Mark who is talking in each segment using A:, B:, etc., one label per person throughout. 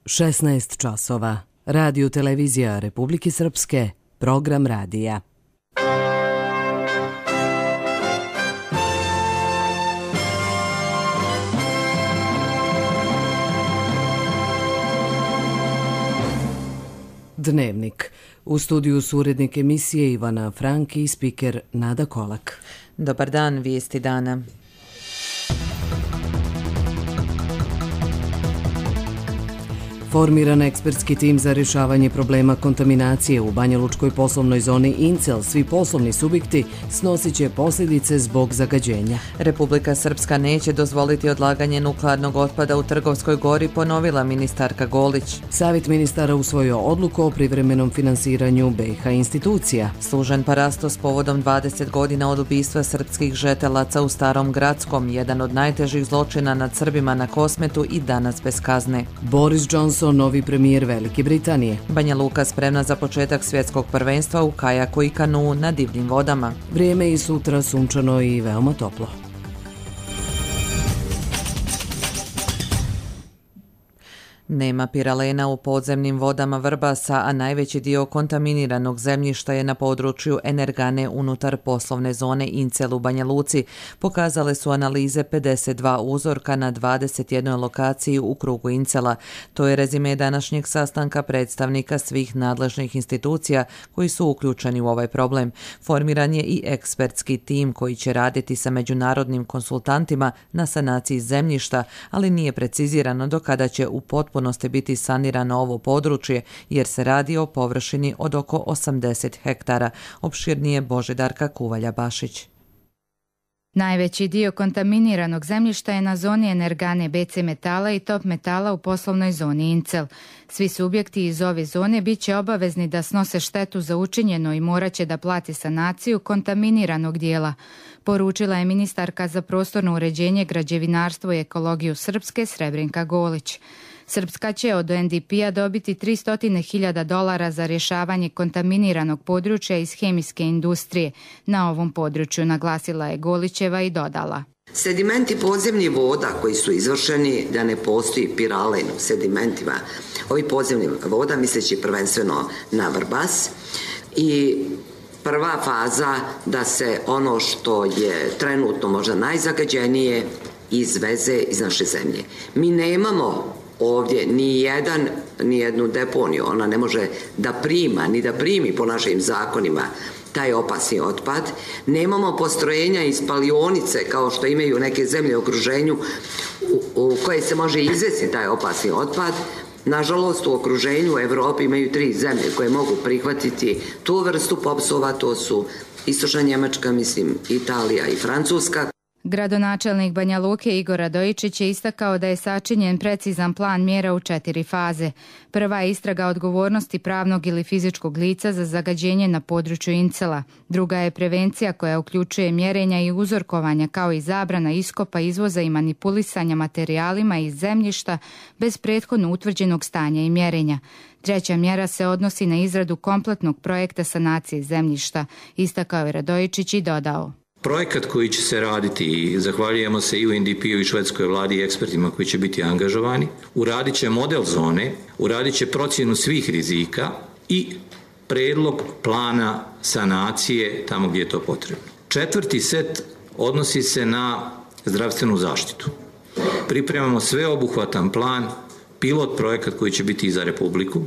A: 16 časova. Radio televizija Republike Srpske, program radija. Dnevnik. U studiju su urednik emisije Ivana Franki i spiker Nada Kolak.
B: Dobar dan, vijesti dana.
A: Formiran ekspertski tim za rješavanje problema kontaminacije u banjalučkoj poslovnoj zoni Incel. Svi poslovni subjekti snosit će posljedice zbog zagađenja.
B: Republika Srpska neće dozvoliti odlaganje nuklearnog otpada u Trgovskoj gori, ponovila ministarka Golić.
A: Savjet ministara usvojio odluku o privremenom finansiranju BiH institucija.
B: Služen parasto s povodom 20 godina od ubistva srpskih žetelaca u Starom Gradskom, jedan od najtežih zločina nad Srbima na Kosmetu i danas bez kazne.
A: Boris Johnson, novi premijer Velike Britanije.
B: Banja Luka spremna za početak svjetskog prvenstva u kajaku i kanuu na divljim vodama.
A: Vrijeme i sutra sunčano i veoma toplo.
B: Nema piralena u podzemnim vodama Vrbasa, a najveći dio kontaminiranog zemljišta je na području Energane unutar poslovne zone Incel u Banja Luci. Pokazale su analize 52 uzorka na 21 lokaciji u krugu Incela. To je rezime današnjeg sastanka predstavnika svih nadležnih institucija koji su uključeni u ovaj problem. Formiran je i ekspertski tim koji će raditi sa međunarodnim konsultantima na sanaciji zemljišta, ali nije precizirano do kada će u potpunosti biti sanirano ovo područje, jer se radi o površini od oko 80 hektara. Opširnije Božidarka Kuvalja-Bašić.
C: Najveći dio kontaminiranog zemljišta je na zoni Energane BC metala i top metala u poslovnoj zoni Incel. Svi subjekti iz ove zone bit će obavezni da snose štetu za učinjeno i morat će da plati sanaciju kontaminiranog dijela, poručila je ministarka za prostorno uređenje, građevinarstvo i ekologiju Srpske Srebrenka Golić. Srpska će od UNDP-a dobiti $300.000 za rješavanje kontaminiranog područja iz hemijske industrije na ovom području, naglasila je Golićeva i dodala.
D: Sedimenti podzemnih voda koji su izvršeni, da ne postoji piralen u sedimentima ovih podzemnih voda, misleći prvenstveno na Vrbas, i prva faza da se ono što je trenutno možda najzagađenije izveze iz naše zemlje. Mi nemamo ovdje ni jednu deponiju, ona ne može da prima, ni da primi po našim zakonima taj opasni otpad. Nemamo postrojenja i spalionice kao što imaju neke zemlje u okruženju u koje se može izvesti taj opasni otpad. Nažalost, u okruženju u Evropi imaju 3 zemlje koje mogu prihvatiti tu vrstu popsova, to su Istočna Njemačka, Italija i Francuska.
C: Gradonačelnik Banja Luke Igor Radojičić je istakao da je sačinjen precizan plan mjera u 4 faze. Prva je istraga odgovornosti pravnog ili fizičkog lica za zagađenje na području Incela. Druga je prevencija koja uključuje mjerenja i uzorkovanja kao i zabrana iskopa, izvoza i manipulisanja materijalima iz zemljišta bez prethodno utvrđenog stanja i mjerenja. Treća mjera se odnosi na izradu kompletnog projekta sanacije zemljišta, istakao je Radojičić i dodao.
E: Projekat koji će se raditi, i zahvaljujemo se i UNDP-u i švedskoj vladi i ekspertima koji će biti angažovani, uradit će model zone, uradit će procjenu svih rizika i predlog plana sanacije tamo gdje je to potrebno. 4. set odnosi se na zdravstvenu zaštitu. Pripremamo sveobuhvatan plan, pilot projekat koji će biti i za Republiku,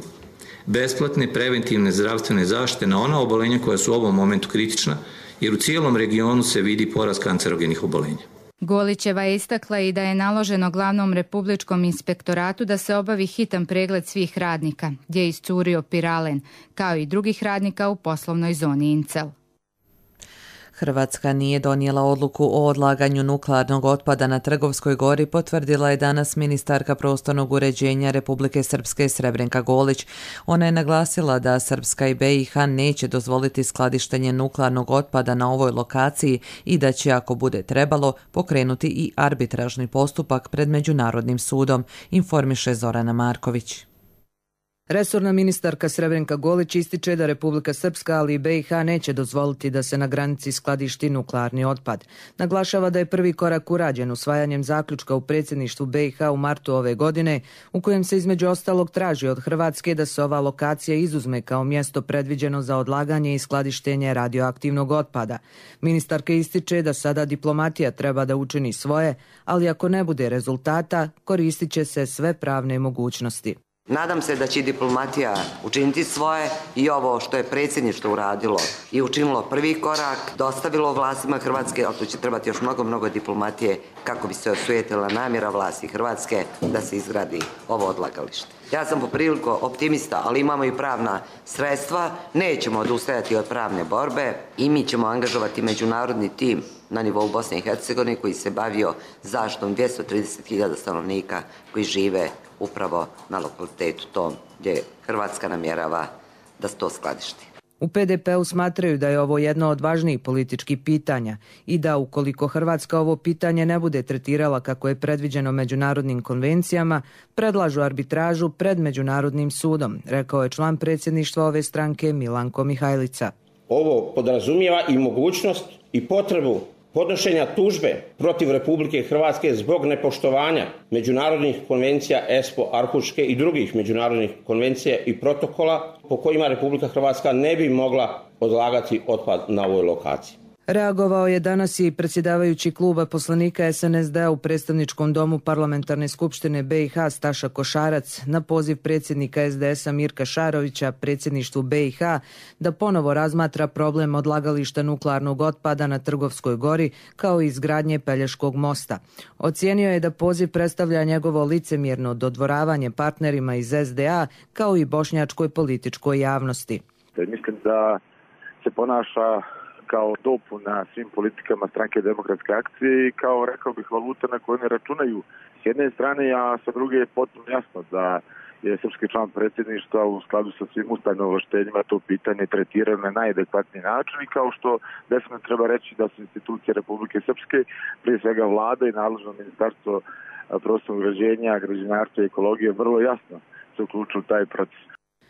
E: besplatne preventivne zdravstvene zaštite na ona obolenja koja su u ovom momentu kritična, jer u cijelom regionu se vidi porast kancerogenih obolenja.
C: Golićeva je istakla i da je naloženo glavnom republičkom inspektoratu da se obavi hitan pregled svih radnika, gdje je iscurio piralen, kao i drugih radnika u poslovnoj zoni Incel.
B: Hrvatska nije donijela odluku o odlaganju nuklearnog otpada na Trgovskoj gori, potvrdila je danas ministarka prostornog uređenja Republike Srpske Srebrenka Golić. Ona je naglasila da Srpska i BiH neće dozvoliti skladištenje nuklearnog otpada na ovoj lokaciji i da će, ako bude trebalo, pokrenuti i arbitražni postupak pred Međunarodnim sudom, informiše Zorana Marković.
F: Resorna ministarka Srebrenka Golić ističe da Republika Srpska, ali i BiH neće dozvoliti da se na granici skladišti nuklearni otpad. Naglašava da je prvi korak urađen usvajanjem zaključka u predsjedništvu BiH u martu ove godine, u kojem se između ostalog traži od Hrvatske da se ova lokacija izuzme kao mjesto predviđeno za odlaganje i skladištenje radioaktivnog otpada. Ministarka ističe da sada diplomatija treba da učini svoje, ali ako ne bude rezultata, koristit će se sve pravne mogućnosti.
D: Nadam se da će diplomatija učiniti svoje i ovo što je predsjedništvo uradilo i učinilo prvi korak, dostavilo vlastima Hrvatske, ali tu će trebati još mnogo diplomatije kako bi se osujetila namjera vlasti Hrvatske da se izgradi ovo odlagalište. Ja sam poprilično optimista, ali imamo i pravna sredstva, nećemo odustajati od pravne borbe i mi ćemo angažovati međunarodni tim na nivou Bosne i Hercegovine koji se bavio zaštitom 230.000 stanovnika koji žive upravo na lokalitetu tom gdje Hrvatska namjerava da se to skladišti.
F: U PDP-u smatraju da je ovo jedno od važnijih političkih pitanja i da ukoliko Hrvatska ovo pitanje ne bude tretirala kako je predviđeno međunarodnim konvencijama, predlažu arbitražu pred Međunarodnim sudom, rekao je član predsjedništva ove stranke Milanko Mihajlica.
G: Ovo podrazumijeva i mogućnost i potrebu podnošenja tužbe protiv Republike Hrvatske zbog nepoštovanja međunarodnih konvencija ESPO, Arhuške i drugih međunarodnih konvencija i protokola po kojima Republika Hrvatska ne bi mogla odlagati otpad na ovoj lokaciji.
F: Reagovao je danas i predsjedavajući kluba poslanika SNSD u predstavničkom domu Parlamentarne skupštine BiH Staša Košarac na poziv predsjednika SDS-a Mirka Šarovića predsjedništvu BiH da ponovo razmatra problem odlagališta nuklearnog otpada na Trgovskoj gori kao i izgradnje Pelješkog mosta. Ocijenio je da poziv predstavlja njegovo licemjerno dodvoravanje partnerima iz SDA kao i bošnjačkoj političkoj javnosti.
H: Mislim da se ponaša kao dopuna svim politikama Stranke demokratske akcije i kao, rekao bih, valuta na koju ne računaju s jedne strane, a sa druge je potpuno jasno da je srpski član predsjedništva u skladu sa svim ustavnim ovlaštenjima to pitanje tretirano na najadekvatniji način i kao što definitivno treba reći da su institucije Republike Srpske, prije svega vlada i nadležno ministarstvo prostornog uređenja, građevinarstva i ekologije vrlo jasno se uključilo u taj proces.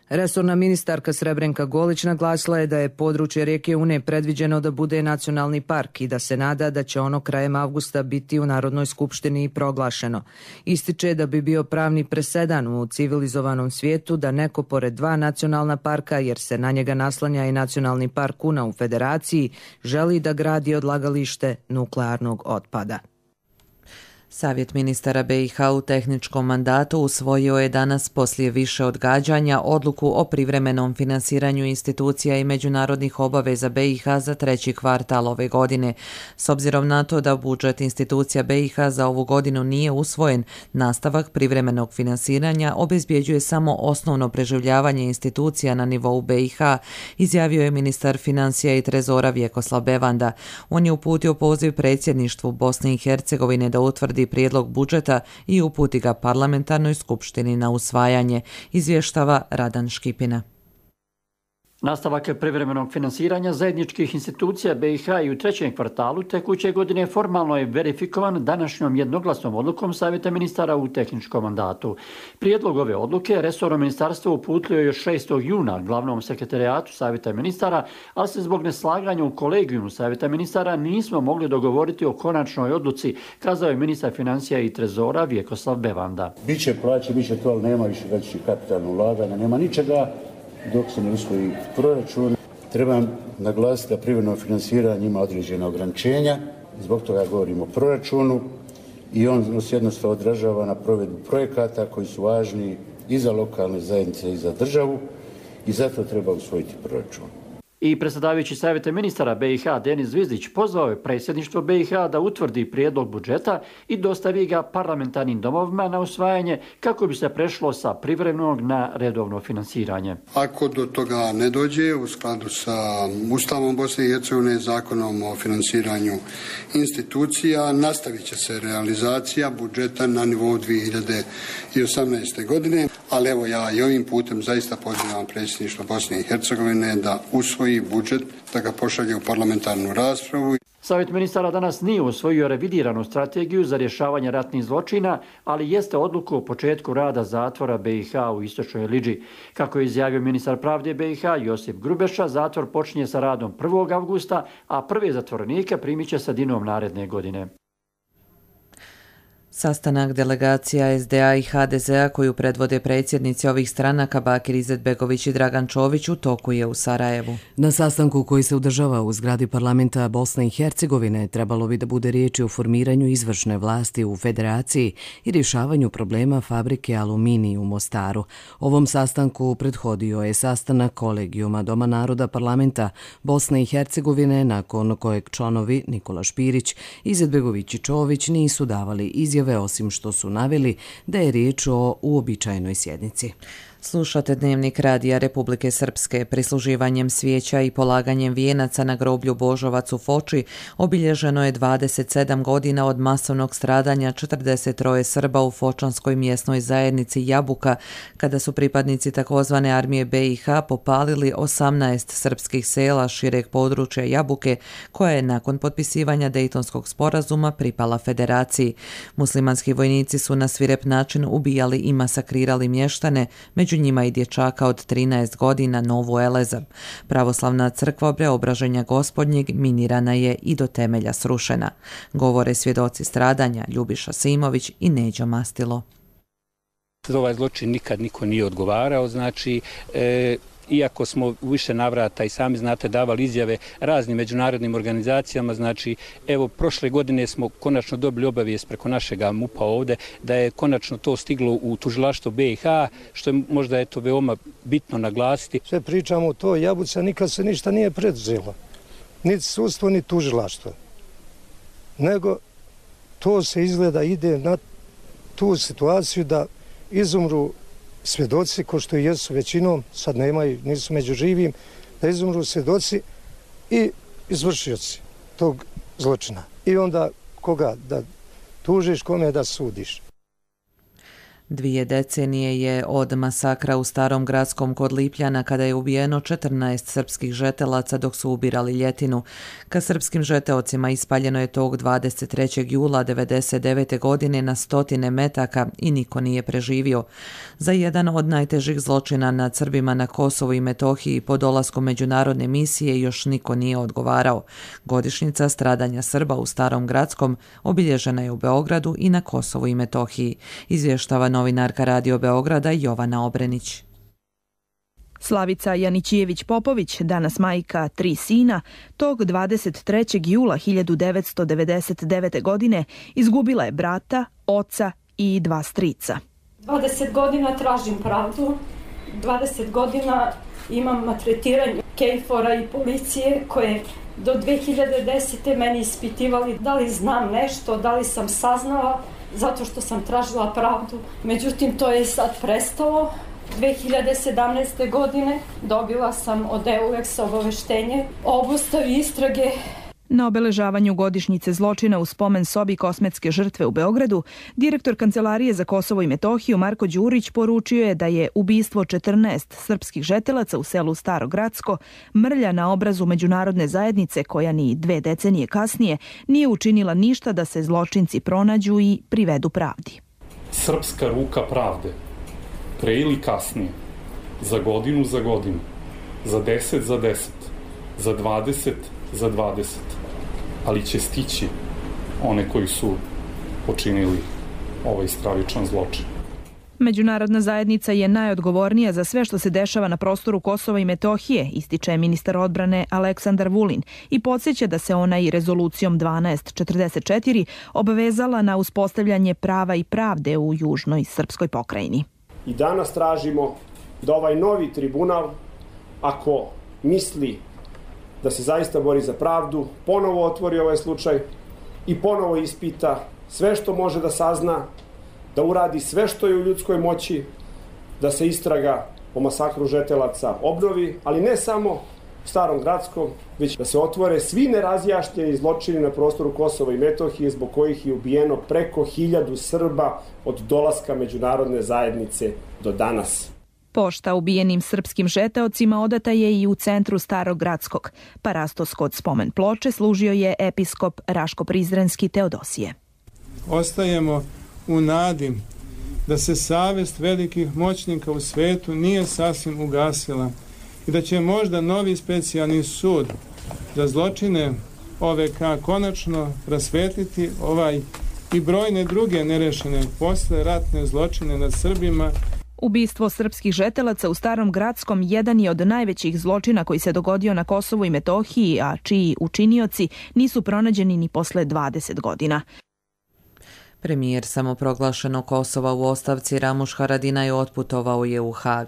F: Resorna ministarka Srebrenka Golić naglasila je da je područje rijeke Une predviđeno da bude nacionalni park i da se nada da će ono krajem avgusta biti u Narodnoj skupštini i proglašeno. Ističe da bi bio pravni presedan u civilizovanom svijetu da neko pored dva nacionalna parka, jer se na njega naslanja i nacionalni park Una u Federaciji, želi da gradi odlagalište nuklearnog otpada.
B: Savjet ministara BiH u tehničkom mandatu usvojio je danas poslije više odgađanja odluku o privremenom finansiranju institucija i međunarodnih obaveza BiH za treći kvartal ove godine. S obzirom na to da budžet institucija BiH za ovu godinu nije usvojen, nastavak privremenog finansiranja obezbjeđuje samo osnovno preživljavanje institucija na nivou BiH, izjavio je ministar financija i trezora Vjekoslav Bevanda. On je uputio poziv predsjedništvu Bosne i Hercegovine da utvrdi prijedlog budžeta i uputi ga parlamentarnoj skupštini na usvajanje, izvještava Radan Škipina.
I: Nastavak privremenog finansiranja zajedničkih institucija BiH i u trećem kvartalu tekuće godine formalno je verifikovan današnjom jednoglasnom odlukom Savjeta ministara u tehničkom mandatu. Prijedlog ove odluke resorno ministarstvo uputilo je još 6. juna glavnom sekretarijatu Savjeta ministara, ali se zbog neslaganja u kolegijumu Savjeta ministara nismo mogli dogovoriti o konačnoj odluci, kazao je ministar financija i trezora Vjekoslav Bevanda.
J: Biće plaće, biće to, ali nema više većih kapitalnog ulaganja, nema ničega. Dok se ne usvoji proračun, trebam naglasiti da privremeno finansiranje ima određena ograničenja, zbog toga govorimo o proračunu i on se jednostavno odražava na provedbu projekata koji su važni i za lokalne zajednice i za državu i zato treba usvojiti proračun.
I: I predsjedavajući Savjeta ministara BiH Denis Zvizdić pozvao je predsjedništvo BiH da utvrdi prijedlog budžeta i dostavi ga parlamentarnim domovima na usvajanje kako bi se prešlo sa privremenog na redovno finansiranje.
K: Ako do toga ne dođe u skladu sa Ustavom Bosne i Hercegovine, Zakonom o finansiranju institucija, nastavit će se realizacija budžeta na nivou 2018. godine, ali evo ja i ovim putem zaista pozivam predsjedništvo Bosne i Hercegovine da usvoji budžet, da ga pošalje u parlamentarnu raspravu.
I: Savjet ministara danas nije usvojio revidiranu strategiju za rješavanje ratnih zločina, ali jeste odluku o početku rada zatvora BiH u Istočnoj Lidži. Kako je izjavio ministar pravde BiH Josip Grubeša, zatvor počinje sa radom 1. avgusta, a prve zatvorenike primit će sredinom naredne godine.
B: Sastanak delegacija SDA i HDZ-a koju predvode predsjednici ovih stranaka Bakir Izetbegović i Dragan Čović u toku je u Sarajevu.
A: Na sastanku koji se održava u zgradi parlamenta Bosne i Hercegovine trebalo bi da bude riječi o formiranju izvršne vlasti u federaciji i rješavanju problema fabrike Aluminij u Mostaru. Ovom sastanku prethodio je sastanak kolegijuma Doma naroda parlamenta Bosne i Hercegovine, nakon kojeg članovi Nikola Špirić, Izetbegović i Čović nisu davali izjave, osim što su naveli da je riječ o uobičajenoj sjednici.
B: Slušate Dnevnik Radija Republike Srpske. Prisluživanjem svijeća i polaganjem vijenaca na groblju Božovac u Foči obilježeno je 27 godina od masovnog stradanja 43 Srba u fočanskoj mjesnoj zajednici Jabuka, kada su pripadnici takozvane armije BiH popalili 18 srpskih sela šireg područja Jabuke, koja je nakon potpisivanja Dejtonskog sporazuma pripala federaciji. Muslimanski vojnici su na svirep način ubijali i masakrirali mještane, među njima i dječaka od 13 godina Novu Eleza. Pravoslavna crkva Preobraženja Gospodnjeg minirana je i do temelja srušena. Govore svjedoci stradanja Ljubiša Simović i Neđo Mastilo.
L: Za ovaj zločin nikad niko nije odgovarao, znači iako smo u više navrata i sami znate davali izjave raznim međunarodnim organizacijama, znači evo prošle godine smo konačno dobili obavijest preko našega MUP-a ovdje da je konačno to stiglo u tužilaštvo BiH, što je možda eto veoma bitno naglasiti.
M: Sve pričamo o toj Jabuci, a nikad se ništa nije preduzelo. Niti sudstvo, ni tužilaštvo. Nego to se izgleda ide na tu situaciju da izumru svjedoci, ko što i jesu većinom, sad nemaju, nisu među živim, da izumru svjedoci i izvršioci tog zločina. I onda koga da tužiš, kome da sudiš.
B: 2 decenije je od masakra u Starom Gradskom kod Lipljana, kada je ubijeno 14 srpskih žetelaca dok su ubirali ljetinu. Ka srpskim žeteocima ispaljeno je tog 23. jula 1999. godine na 100 metaka i niko nije preživio. Za jedan od najtežih zločina nad Srbima na Kosovu i Metohiji po dolasku međunarodne misije još niko nije odgovarao. Godišnjica stradanja Srba u Starom Gradskom obilježena je u Beogradu i na Kosovu i Metohiji, izvještava novinarka Radio Beograda Jovana Obrenić.
N: Slavica Janićijević-Popović, danas majka 3 sina, tog 23. jula 1999. godine izgubila je brata, oca i 2 strica.
O: 20 godina tražim pravdu, 20 godina imam maltretiranje KFOR-a i policije koje do 2010. meni ispitivali da li znam nešto, da li sam saznala, zato što sam tražila pravdu. Međutim, to je sad prestalo. 2017. godine dobila sam od EULEX obaveštenje o obustavi istrage.
N: Na obeležavanju godišnjice zločina u spomen sobi Kosmetske žrtve u Beogradu, direktor Kancelarije za Kosovo i Metohiju Marko Đurić poručio je da je ubistvo 14 srpskih žetelaca u selu Staro Gradsko mrlja na obrazu međunarodne zajednice koja ni 2 decenije kasnije nije učinila ništa da se zločinci pronađu i privedu pravdi.
P: Srpska ruka pravde, pre ili kasnije, za godinu za godinu, za 10 za 10, za 20 za 20, ali će stići one koji su počinili ovaj stravičan zločin.
N: Međunarodna zajednica je najodgovornija za sve što se dešava na prostoru Kosova i Metohije, ističe ministar odbrane Aleksandar Vulin i podsjeća da se ona i rezolucijom 1244 obavezala na uspostavljanje prava i pravde u južnoj srpskoj pokrajini.
Q: I danas tražimo da ovaj novi tribunal, ako misli da se zaista bori za pravdu, ponovo otvori ovaj slučaj i ponovo ispita sve što može da sazna, da uradi sve što je u ljudskoj moći, da se istraga o masakru žetelaca obnovi, ali ne samo u Starom Gradskom, već da se otvore svi nerazjašnjeni zločini na prostoru Kosova i Metohije zbog kojih je ubijeno preko 1000 Srba od dolaska međunarodne zajednice do danas.
N: Pošta ubijenim srpskim žeteocima odata je i u centru Starog Gradskog. Parastos kod spomen ploče služio je episkop Raško-Prizrenski Teodosije.
R: Ostajemo u nadi da se savest velikih moćnika u svetu nije sasvim ugasila i da će možda novi specijalni sud za zločine OVK konačno rasvetliti ovaj i brojne druge nerešene posleratne zločine nad Srbima.
N: Ubistvo srpskih žetelaca u Starom Gradskom jedan je od najvećih zločina koji se dogodio na Kosovu i Metohiji, a čiji učinioci nisu pronađeni ni posle 20 godina.
B: Premijer samoproglašenog Kosova u ostavci Ramuš Haradinaj otputovao je u Hag.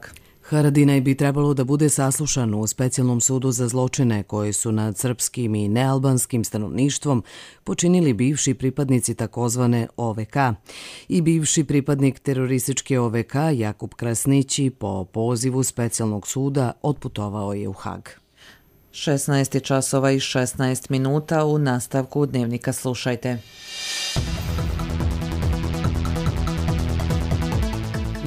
A: Haradinaj bi trebalo da bude saslušan u specijalnom sudu za zločine koje su nad srpskim i nealbanskim stanovništvom počinili bivši pripadnici takozvane OVK i bivši pripadnik terorističke OVK Jakub Krasnići po pozivu specijalnog suda otputovao je u Hag.
B: 16 časova i 16 minuta. U nastavku Dnevnika slušajte.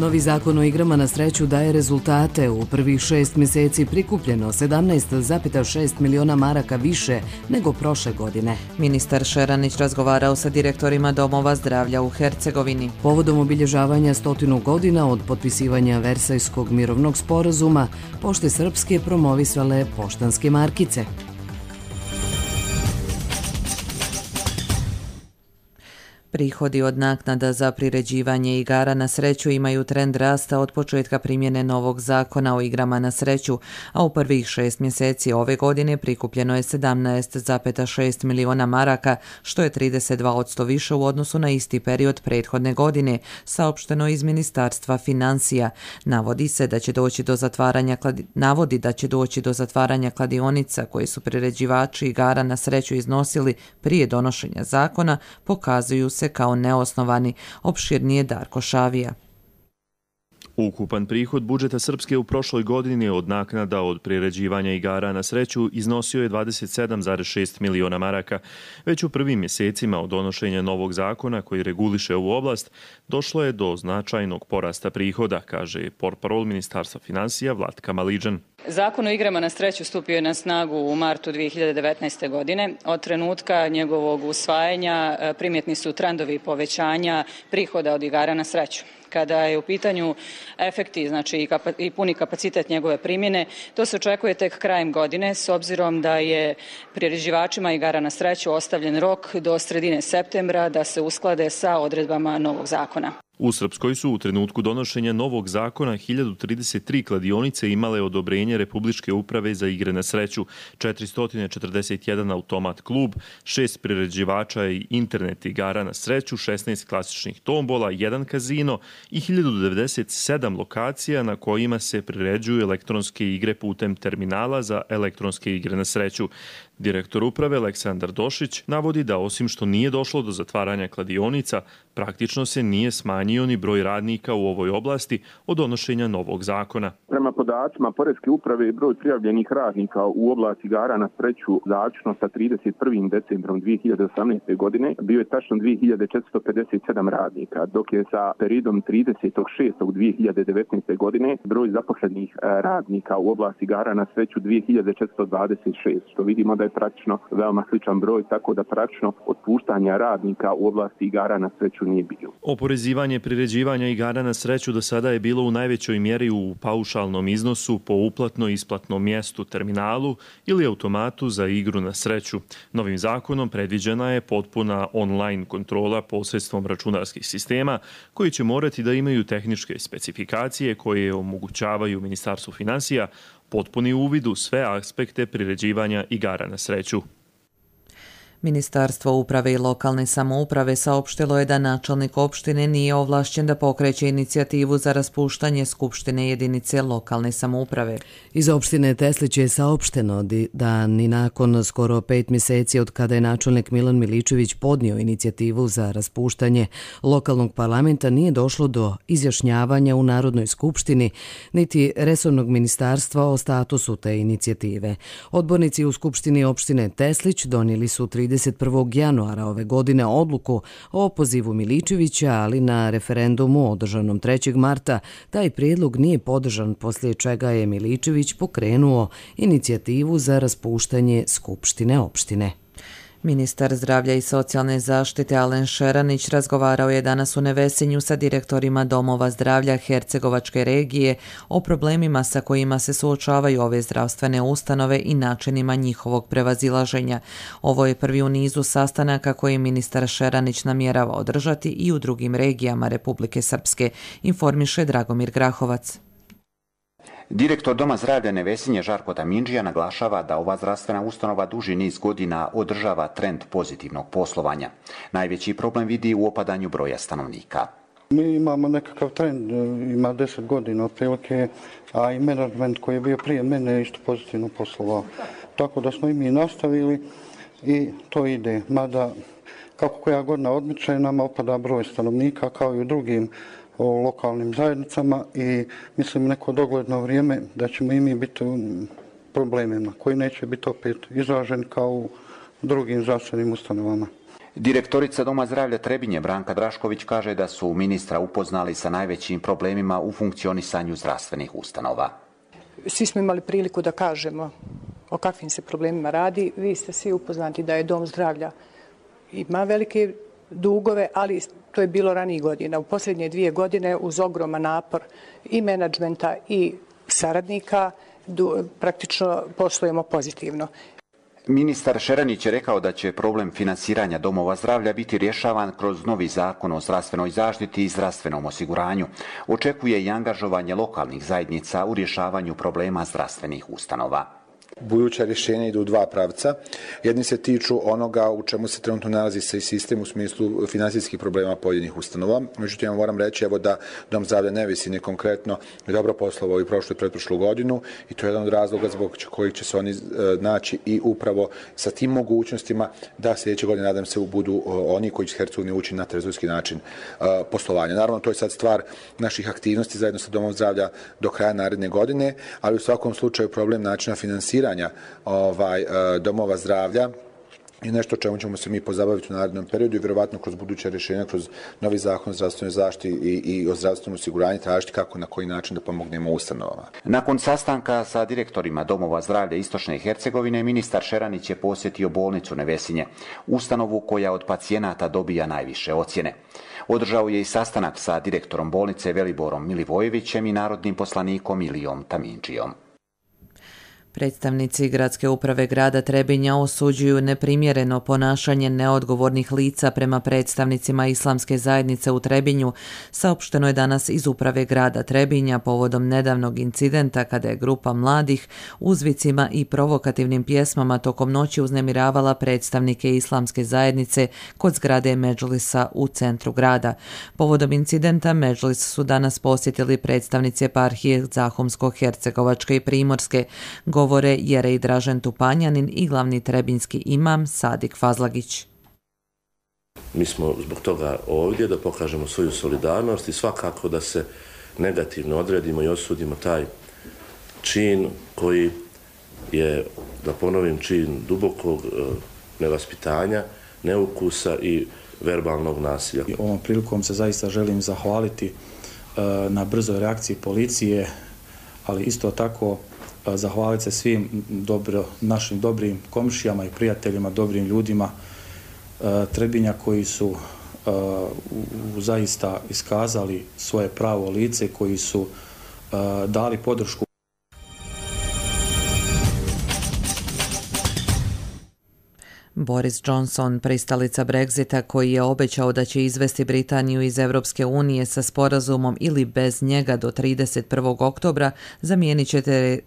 A: Novi zakon o igrama na sreću daje rezultate. U prvih 6 mjeseci prikupljeno 17,6 miliona maraka više nego prošle godine.
B: Ministar Šeranić razgovarao sa direktorima domova zdravlja u Hercegovini.
A: Povodom obilježavanja 100 godina od potpisivanja Versajskog mirovnog sporazuma, Pošte Srpske promovisale poštanske markice.
B: Prihodi od naknada za priređivanje igara na sreću imaju trend rasta od početka primjene novog zakona o igrama na sreću, a u prvih 6 mjeseci ove godine prikupljeno je 17,6 miliona maraka, što je 32% više u odnosu na isti period prethodne godine, saopšteno iz Ministarstva financija. Navodi da će doći do zatvaranja kladionica koje su priređivači igara na sreću iznosili prije donošenja zakona, pokazuju se kao neosnovani, opširnije Darko Šavija.
S: Ukupan prihod budžeta Srpske u prošloj godini od naknada od priređivanja igara na sreću iznosio je 27,6 miliona maraka. Već u prvim mjesecima od donošenja novog zakona koji reguliše ovu oblast, došlo je do značajnog porasta prihoda, kaže portparol Ministarstva financija Vlatka Maliđan.
T: Zakon o igrama na sreću stupio je na snagu u martu 2019. godine. Od trenutka njegovog usvajanja primjetni su trendovi povećanja prihoda od igara na sreću. Kada je u pitanju efekti, znači i puni kapacitet njegove primjene, to se očekuje tek krajem godine, s obzirom da je priređivačima igara na sreću ostavljen rok do sredine septembra da se usklade sa odredbama novog zakona.
S: U Srpskoj su u trenutku donošenja novog zakona 1033 kladionice imale odobrenje Republičke uprave za igre na sreću, 441 automat klub, 6 priređivača i internet igara na sreću, 16 klasičnih tombola, 1 kazino i 1097 lokacija na kojima se priređuju elektronske igre putem terminala za elektronske igre na sreću. Direktor uprave Aleksandar Došić navodi da osim što nije došlo do zatvaranja kladionica, praktično se nije smanjio ni broj radnika u ovoj oblasti od donošenja novog zakona.
U: Prema podacima Poreske uprave, broj prijavljenih radnika u oblasti igara na sreću zaključno sa 31. decembrom 2018. godine bio je tačno 2457 radnika, dok je sa periodom 30.6.2019. godine broj zaposlenih radnika u oblasti igara na sreću 2426, što vidimo da je praktično veoma sličan broj, tako da praktično otpuštanja radnika u oblasti igara na sreću nije bilo.
S: Oporezivanje priređivanja igara na sreću do sada je bilo u najvećoj mjeri u paušalnom iznosu po uplatno-isplatnom mjestu, terminalu ili automatu za igru na sreću. Novim zakonom predviđena je potpuna online kontrola posredstvom računarskih sistema koji će morati da imaju tehničke specifikacije koje omogućavaju Ministarstvu financija potpuni uvid u sve aspekte priređivanja igara na sreću.
B: Ministarstvo uprave i lokalne samouprave saopštilo je da načelnik opštine nije ovlašćen da pokreće inicijativu za raspuštanje Skupštine jedinice lokalne samouprave.
A: Iz opštine Teslić je saopšteno da ni nakon skoro 5 mjeseci od kada je načelnik Milan Miličević podnio inicijativu za raspuštanje lokalnog parlamenta nije došlo do izjašnjavanja u Narodnoj skupštini niti resornog ministarstva o statusu te inicijative. Odbornici u Skupštini opštine Teslić donijeli su 30 31. januara ove godine odluku o opozivu Miličevića, ali na referendumu održanom 3. marta taj prijedlog nije podržan, poslije čega je Miličević pokrenuo inicijativu za raspuštanje Skupštine opštine.
B: Ministar zdravlja i socijalne zaštite Alen Šeranić razgovarao je danas u Nevesinju sa direktorima domova zdravlja Hercegovačke regije o problemima sa kojima se suočavaju ove zdravstvene ustanove i načinima njihovog prevazilaženja. Ovo je prvi u nizu sastanaka koje ministar Šeranić namjerava održati i u drugim regijama Republike Srpske, informiše Dragomir Grahovac.
E: Direktor Doma zdravlja Nevesinje Žarko Tamindžija naglašava da ova zdravstvena ustanova duži niz godina održava trend pozitivnog poslovanja. Najveći problem vidi u opadanju broja stanovnika.
V: Mi imamo nekakav trend, ima 10 godina otprilike, a i menadžment koji je bio prije mene isto pozitivno poslovao. Tako da smo i mi nastavili i to ide. Mada kako koja godina odmiče, nama opada broj stanovnika kao i u drugim o lokalnim zajednicama i mislim neko dogledno vrijeme da ćemo i mi biti u problemima koji neće biti opet izraženi kao u drugim zdravstvenim ustanovama.
E: Direktorica Doma zdravlja Trebinje Branka Drašković kaže da su ministra upoznali sa najvećim problemima u funkcionisanju zdravstvenih ustanova.
W: Svi smo imali priliku da kažemo o kakvim se problemima radi. Vi ste svi upoznati da je Dom zdravlja ima velike dugove, ali to je bilo ranijih godina. U posljednje 2 godine uz ogroman napor i menadžmenta i saradnika praktično poslujemo pozitivno.
E: Ministar Šeranić je rekao da će problem finansiranja domova zdravlja biti rješavan kroz novi zakon o zdravstvenoj zaštiti i zdravstvenom osiguranju. Očekuje i angažovanje lokalnih zajednica u rješavanju problema zdravstvenih ustanova.
X: Buduća rješenja idu u 2 pravca. Jedni se tiču onoga u čemu se trenutno nalazi se sistem u smislu finansijskih problema pojedinih ustanova. Međutim, moram reći da Dom zdravlja Nevesinje konkretno je dobro poslovao i prošlu i pretprošlu godinu i to je jedan od razloga zbog kojih će se oni naći i upravo sa tim mogućnostima da sljedeće godine, nadam se, budu oni koji će Hercegovini ući na trezorski način poslovanja. Naravno, to je sad stvar naših aktivnosti zajedno sa Domom zdravlja do kraja naredne godine, ali u svakom slučaju problem načina finansiranja domova zdravlja i nešto čemu ćemo se mi pozabaviti u narednom periodu i vjerovatno kroz buduće rješenja, kroz novi zakon o zdravstvenoj zaštiti i o zdravstvenom osiguranju tražiti kako na koji način da pomognemo ustanovama.
E: Nakon sastanka sa direktorima domova zdravlja Istočne Hercegovine, ministar Šeranić je posjetio bolnicu Nevesinje, ustanovu koja od pacijenata dobija najviše ocjene. Održao je i sastanak sa direktorom bolnice Veliborom Milivojevićem i narodnim poslanikom Ilijom Tamindžijom.
B: Predstavnici gradske uprave grada Trebinja osuđuju neprimjereno ponašanje neodgovornih lica prema predstavnicima islamske zajednice u Trebinju, saopšteno je danas iz uprave grada Trebinja povodom nedavnog incidenta kada je grupa mladih uzvicima i provokativnim pjesmama tokom noći uznemiravala predstavnike islamske zajednice kod zgrade Medžlisa u centru grada. Povodom incidenta Medžlis su danas posjetili predstavnici eparhije Zahumsko-Hercegovačke i Primorske, govore Jerej Dražen Tupanjanin i glavni trebinski imam Sadik Fazlagić.
Y: Mi smo zbog toga ovdje da pokažemo svoju solidarnost i svakako da se negativno odredimo i osudimo taj čin koji je, da ponovim, čin dubokog nevaspitanja, neukusa i verbalnog nasilja.
Z: Ovom prilikom se zaista želim zahvaliti na brzoj reakciji policije, ali isto tako zahvaliti se svim našim dobrim komšijama i prijateljima, dobrim ljudima Trebinja koji su zaista iskazali svoje pravo lice, koji su dali podršku.
B: Boris Johnson, pristalica Brexita, koji je obećao da će izvesti Britaniju iz Europske unije sa sporazumom ili bez njega do 31. oktobra, zamijenit će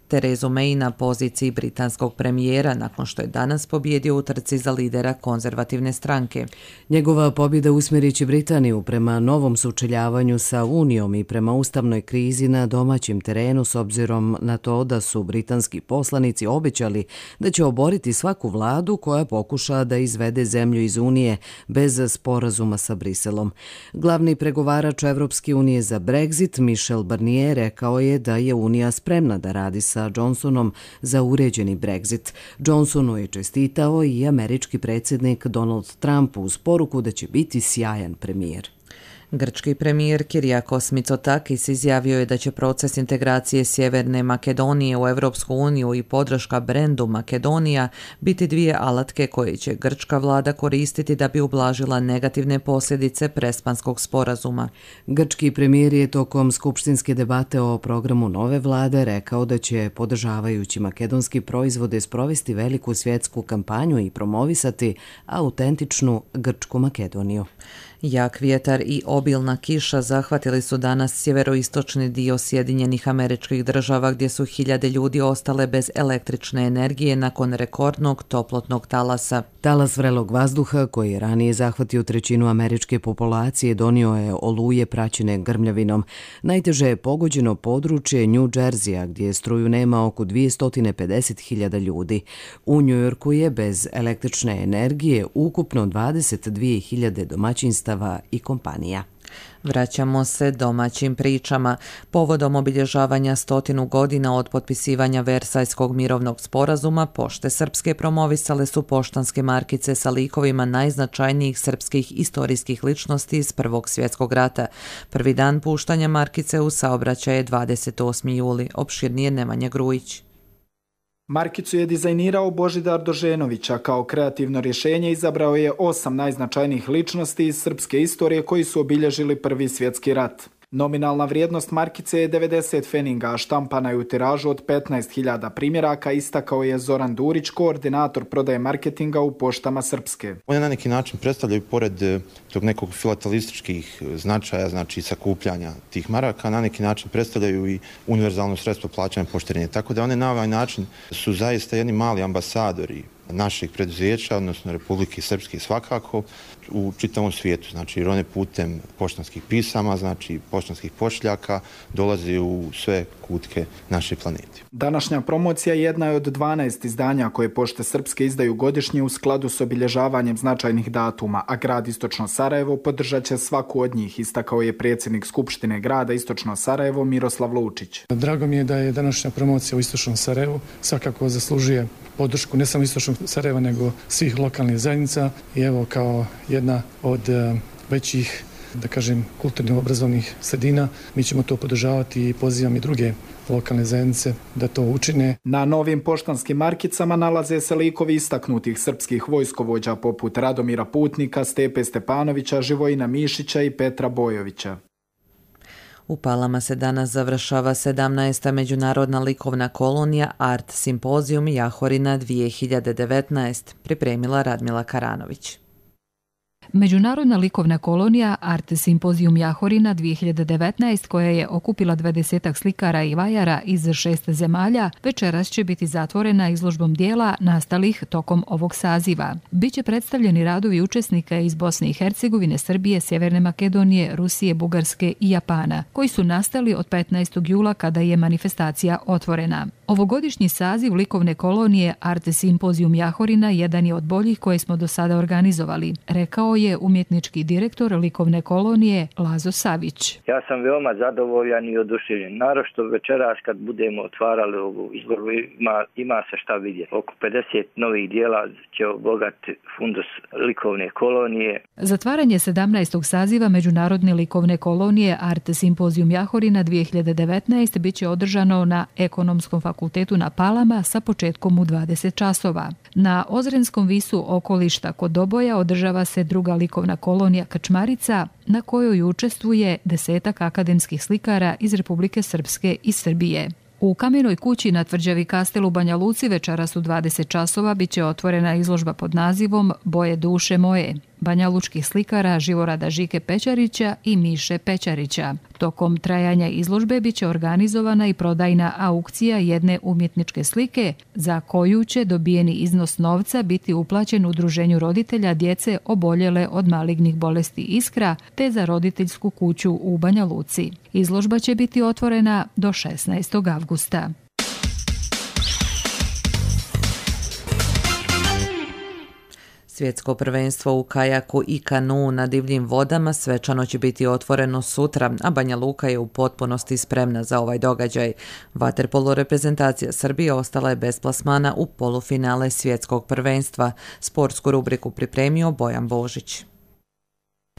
B: Terezu May na poziciji britanskog premijera nakon što je danas pobjedio u trci za lidera konzervativne stranke.
A: Njegova pobjeda usmjerit će Britaniju prema novom sučeljavanju sa Unijom i prema ustavnoj krizi na domaćem terenu, s obzirom na to da su britanski poslanici obećali da će oboriti svaku vladu koja pokuša pokuša da izvede zemlju iz Unije bez sporazuma sa Briselom. Glavni pregovarač Evropske unije za Brexit, Michel Barnier, rekao je da je Unija spremna da radi sa Johnsonom za uređeni Brexit. Johnsonu je čestitao i američki predsjednik Donald Trump uz poruku da će biti sjajan premijer.
B: Grčki premijer Kyriakos Mitsotakis izjavio je da će proces integracije Sjeverne Makedonije u Evropsku uniju i podrška brendu Makedonija biti dvije alatke koje će grčka vlada koristiti da bi ublažila negativne posljedice Prespanskog sporazuma.
A: Grčki premijer je tokom skupštinske debate o programu nove vlade rekao da će, podržavajući makedonski proizvode, sprovesti veliku svjetsku kampanju i promovisati autentičnu grčku Makedoniju.
B: Jak vjetar i obilna kiša zahvatili su danas sjeveroistočni dio Sjedinjenih Američkih Država gdje su hiljade ljudi ostale bez električne energije nakon rekordnog toplotnog talasa.
A: Talas vrelog vazduha, koji je ranije zahvatio trećinu američke populacije, donio je oluje praćene grmljavinom. Najteže je pogođeno područje New Jerseya, gdje struju nema oko 250.000 ljudi. U Njujorku je bez električne energije ukupno 22.000 domaćinstava i kompanija.
B: Vraćamo se domaćim pričama. Povodom obilježavanja 100 godina od potpisivanja Versajskog mirovnog sporazuma, Pošte Srpske promovisale su poštanske markice sa likovima najznačajnijih srpskih istorijskih ličnosti iz Prvog svjetskog rata. Prvi dan puštanja markice u saobraćaj je 28. juli. Opširnije Nemanja Grujić.
C: Markicu je dizajnirao Božidar Doženović, a kao kreativno rješenje izabrao je 8 najznačajnijih ličnosti iz srpske istorije koji su obilježili Prvi svjetski rat. Nominalna vrijednost markice je 90 feninga, a štampana je u tiražu od 15.000 primjeraka, istakao je Zoran Durić, koordinator prodaje marketinga u Poštama Srpske.
D: One na neki način predstavljaju, pored tog nekog filatelističkih značaja, znači sakupljanja tih maraka, na neki način predstavljaju i univerzalno sredstvo plaćanja poštarenja. Tako da one na ovaj način su zaista jedni mali ambasadori naših preduzeća, odnosno Republike Srpske svakako, u čitavom svijetu. Znači, jer one putem poštanskih pisama, znači poštanskih pošiljaka, dolaze u sve kutke naše planete.
C: Današnja promocija jedna je od 12 izdanja koje Pošte Srpske izdaju godišnje u skladu s obilježavanjem značajnih datuma, a grad Istočno Sarajevo podržat će svaku od njih, istakao je predsjednik Skupštine grada Istočno Sarajevo Miroslav Lučić.
F: Drago mi je da je današnja promocija u Istočnom Sarajevu svakako zaslužuje podršku ne samo Istočnog Sarajeva, nego svih lokalnih zajednica i evo kao jedna od većih, da kažem, kulturno-obrazovnih sredina, mi ćemo to podržavati i pozivam i druge lokalne zajednice da to učine.
C: Na novim poštanskim markicama nalaze se likovi istaknutih srpskih vojskovođa poput Radomira Putnika, Stepe Stepanovića, Živojina Mišića i Petra Bojovića.
B: U Palama se danas završava 17. međunarodna likovna kolonija Art Simpozijum Jahorina 2019, pripremila Radmila Karanović.
G: Međunarodna likovna kolonija Art Simpozijum Jahorina 2019, koja je okupila 20 slikara i vajara iz 6 zemalja, večeras će biti zatvorena izložbom dijela nastalih tokom ovog saziva. Biće predstavljeni radovi učesnika iz Bosne i Hercegovine, Srbije, Sjeverne Makedonije, Rusije, Bugarske i Japana, koji su nastali od 15. jula kada je manifestacija otvorena. Ovogodišnji saziv likovne kolonije Art Simpozijum Jahorina jedan je od boljih koje smo do sada organizovali, rekao je umjetnički direktor likovne kolonije Lazo Savić.
H: Ja sam veoma zadovoljan i oduševljen. Naročito večeras kad budemo otvarali ovu izložbu ima se šta vidjeti. Oko 50 novih dijela će obogatiti fundus likovne kolonije.
G: Zatvaranje 17. saziva Međunarodne likovne kolonije Art Simpozijum Jahorina 2019 biće održano na Ekonomskom fakultetu na Palama sa početkom u 20 časova. Na Ozrenskom visu okolišta kod Doboja održava se druga likovna kolonija Krčmarica, na kojoj učestvuje 10 akademskih slikara iz Republike Srpske i Srbije. U Kamenoj kući na tvrđavi Kastel u Banja Luci večeras u 20 časova biće otvorena izložba pod nazivom Boje duše moje, banjalučkih slikara Živorada Žike Pećarića i Miše Pećarića. Tokom trajanja izložbe biće organizovana i prodajna aukcija jedne umjetničke slike, za koju će dobijeni iznos novca biti uplaćen udruženju roditelja djece oboljele od malignih bolesti Iskra, te za roditeljsku kuću u Banja Luci. Izložba će biti otvorena do 16. avgusta.
B: Svjetsko prvenstvo u kajaku i kanu na divljim vodama svečano će biti otvoreno sutra, a Banja Luka je u potpunosti spremna za ovaj događaj. Vaterpolo reprezentacija Srbije ostala je bez plasmana u polufinale Svjetskog prvenstva. Sportsku rubriku pripremio Bojan Božić.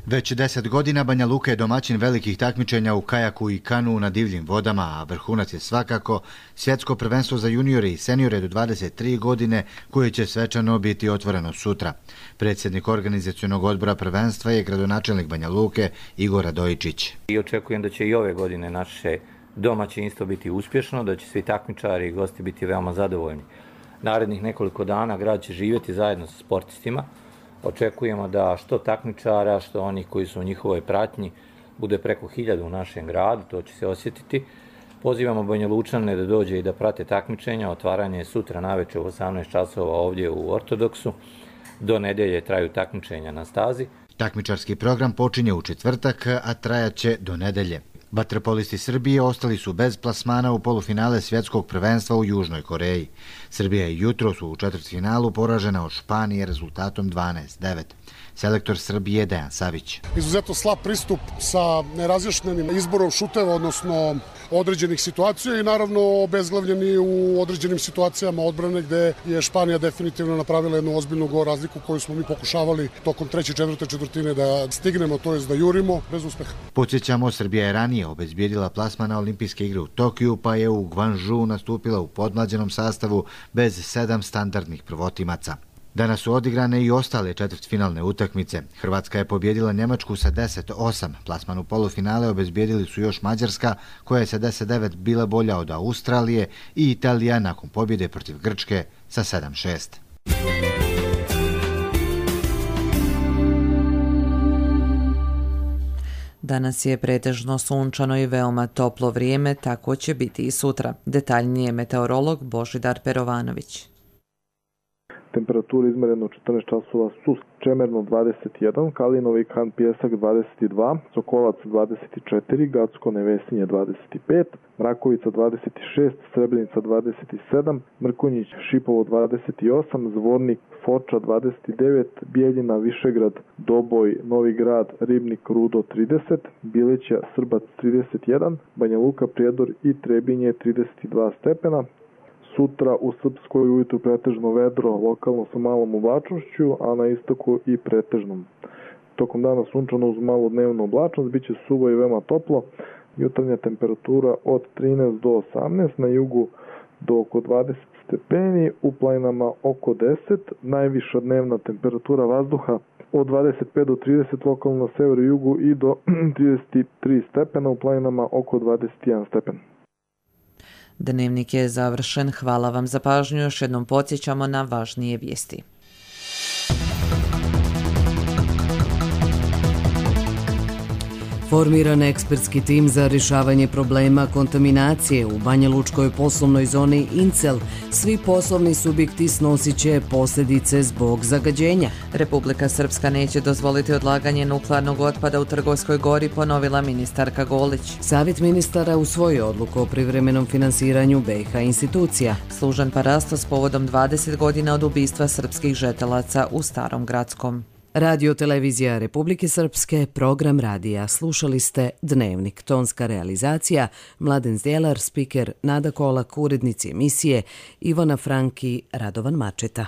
I: Već 10 godina Banja Luka je domaćin velikih takmičenja u kajaku i kanu na divljim vodama, a vrhunac je svakako Svjetsko prvenstvo za juniore i seniore do 23 godine koje će svečano biti otvoreno sutra. Predsjednik organizacionog odbora prvenstva je gradonačelnik Banja Luke Igor Radojičić.
J: I očekujem da će i ove godine naše domaćinstvo biti uspješno, da će svi takmičari i gosti biti veoma zadovoljni. Narednih nekoliko dana grad će živjeti zajedno sa sportistima. Očekujemo da što takmičara, što oni koji su u njihovoj pratnji bude preko 1000 u našem gradu, to će se osjetiti. Pozivamo Banja Lučane da dođe i da prate takmičenja. Otvaranje je sutra navečer u 18 časova ovdje u Ortodoksu. Do nedelje traju takmičenja na stazi.
I: Takmičarski program počinje u četvrtak, a trajaće do nedelje. Vaterpolisti Srbije ostali su bez plasmana u polufinale Svjetskog prvenstva u Južnoj Koreji. Srbija je jutros u četvrtfinalu poražena od Španije rezultatom 12-9. Selektor Srbije Dejan Savić.
K: Izuzetno slab pristup sa nerazjašnjenim izborom šuteva, odnosno određenih situacija i naravno obezglavljeni u određenim situacijama odbrane gde je Španija definitivno napravila jednu ozbiljnu gol razliku koju smo mi pokušavali tokom treće i četvrte četvrtine da stignemo, to jest da jurimo, bez uspeha.
I: Podsjećamo, Srbija je ranije obezbijedila plasman na olimpijske igre u Tokiju, pa je u Guangzhou nastupila u podmlađenom sastavu bez 7 standardnih prvotimaca. Danas su odigrane i ostale četvrtfinalne utakmice. Hrvatska je pobjedila Njemačku sa 10-8. Plasman u polufinale obezbijedili su još Mađarska, koja je sa 10-9 bila bolja od Australije, i Italija nakon pobjede protiv Grčke sa 7-6.
B: Danas je pretežno sunčano i veoma toplo vrijeme, tako će biti i sutra. Detaljnije meteorolog Božidar Perovanović.
L: Temperatura izmerena u 14 časova su Čemerno 21, Kalinovi kan Pjesak 22, Sokolac 24, Gacko Nevesinje 25, Mrakovica 26, Srebrenica 27, Mrkonjić Šipovo 28, Zvornik Foča 29, Bijeljina Višegrad Doboj Novi Grad Ribnik Rudo 30, Bileća Srbac 31, Banja Luka Prijedor i Trebinje 32 stepena. Sutra u Srpskoj ujutru pretežno vedro, lokalno sa malom oblačnošću, a na istoku i pretežnom. Tokom dana sunčano uz malu dnevnu oblačnost, bit će suvo i veoma toplo. Jutarnja temperatura od 13 do 18, na jugu do oko 20 stepeni, u planinama oko 10, najviša dnevna temperatura vazduha od 25 do 30, lokalno na severu i jugu i do 33 stepena, u planinama oko 21 stepen.
B: Dnevnik je završen. Hvala vam za pažnju. Još jednom podsjećamo na važnije vijesti.
A: Formiran ekspertski tim za rješavanje problema kontaminacije u Banjalučkoj poslovnoj zoni Incel. Svi poslovni subjekti snosit će posljedice zbog zagađenja.
B: Republika Srpska neće dozvoliti odlaganje nuklearnog otpada u Trgovskoj gori, ponovila ministarka Golić.
A: Savjet ministara usvojio odluku o privremenom finansiranju BiH institucija.
B: Služan parasto s povodom 20 godina od ubistva srpskih žetelaca u Starom Gradskom.
A: Radio televizija Republike Srpske, program radija. Slušali ste Dnevnik, tonska realizacija, Mladen Zdjelar, spiker Nada Kolak, urednici emisije Ivana Franki, Radovan Mačeta.